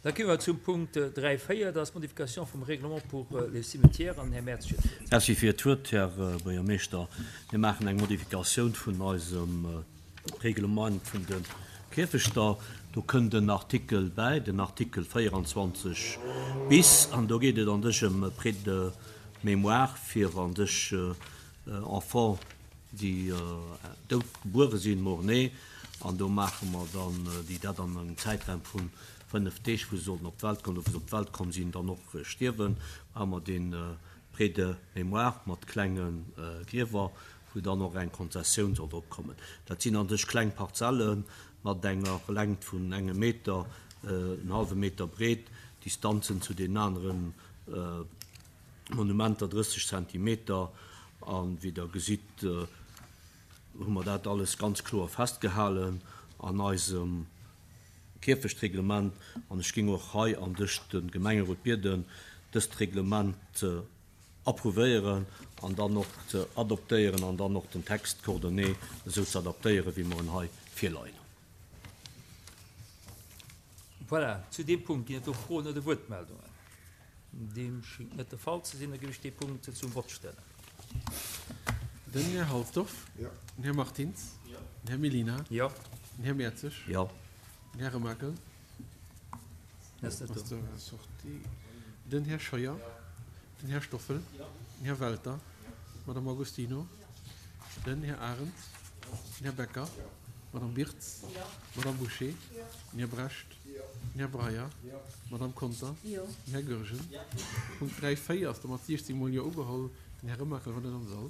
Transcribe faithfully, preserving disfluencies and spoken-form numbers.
Da komme mer zum Punkt dräi véier, dat ass d'Modification vum Règlement pour les cimetières. An den Här Mertz huet d'Wuert. Merci fir d'Wuert, Här Buergermeeschter. Mir maachen eng Modifikatioun vun eisem Reglement vun de Kierfechter. Do kënnt en Artikel bäi, den Artikel véieranzwanzeg bis, an do geet et an sech ëm Prêt de mémoire fir an sech Enfants, déi dout gebuere sinn, mort-né. An do maache mer dann, déi dat an engem Zäitraum vu fënnef Deeg, wou se sollten op d'Welt kommen, oder wou se op d'Welt komm sinn, dann och stierwen, maache mer dee Prêt de mémoire mat klenge Griewer, wou dann och eng Konzessioun soll drop kommen. Dat sinn an sech kleng Parzelle mat enger Längt vun engem Meter, en hallwe Meter breet, Distanzen zu deenen anere Monumenter drësseg Zentimeter. A wéi Der gesitt, hu mer dat alles ganz kloer festgehalen an eisem Kierfechtreglement. An ech géing och hei an dech de Gemengerot bieden, dëst Reglement ze approuvéieren an dann och ze adoptéieren an dann och den Text coordonné esou ze adaptéieren, wéi mer en hei virleien hunn. Voilà, zu deem Punkt ginn et do Froen oder Wuertmeldungen? Deem schéngt net de Fall ze sinn. Da géif ech dee Punkt zum Vott stellen. Den Här Halsdorf. Den Här Martins. Den Här Mellina. Den Här Mertzig. Den Här Remakel. Den Här Scheuer. Den Här Stoffel. Den Här Welter. D'Madame Agostino. Den Här Arendt. Den Här Becker. D'Madame Birtz. D'Madame Bouché. Den Här Brecht. Den Här Breyer. D'Madame Conter. Den Här Goergen. Punkt dräi, véier ass da mat siechzéng mol Jo ugeholl. Den Här Remakel war net am Sall.